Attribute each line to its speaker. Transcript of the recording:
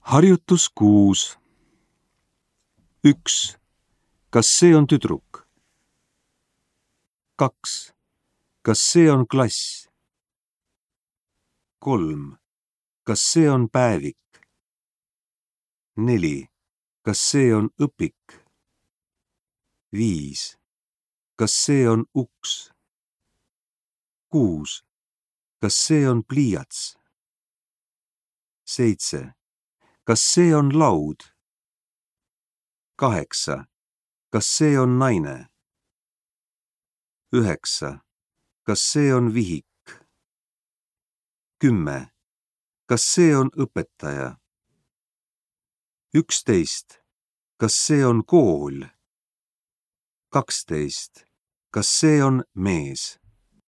Speaker 1: Harjutus 6. 1. Kas see on tüdruk? 2. Kas see on klass? 3. Kas see on päevik? 4. Kas see on õpik? 5. Kas see on uks? 6. Kas see on pliiats? 7. Kas see on laud? 8. Kas see on naine? 9. Kas see on vihik? 10. Kas see on õpetaja? 11. Kas see on kool? 12. Kas see on mees?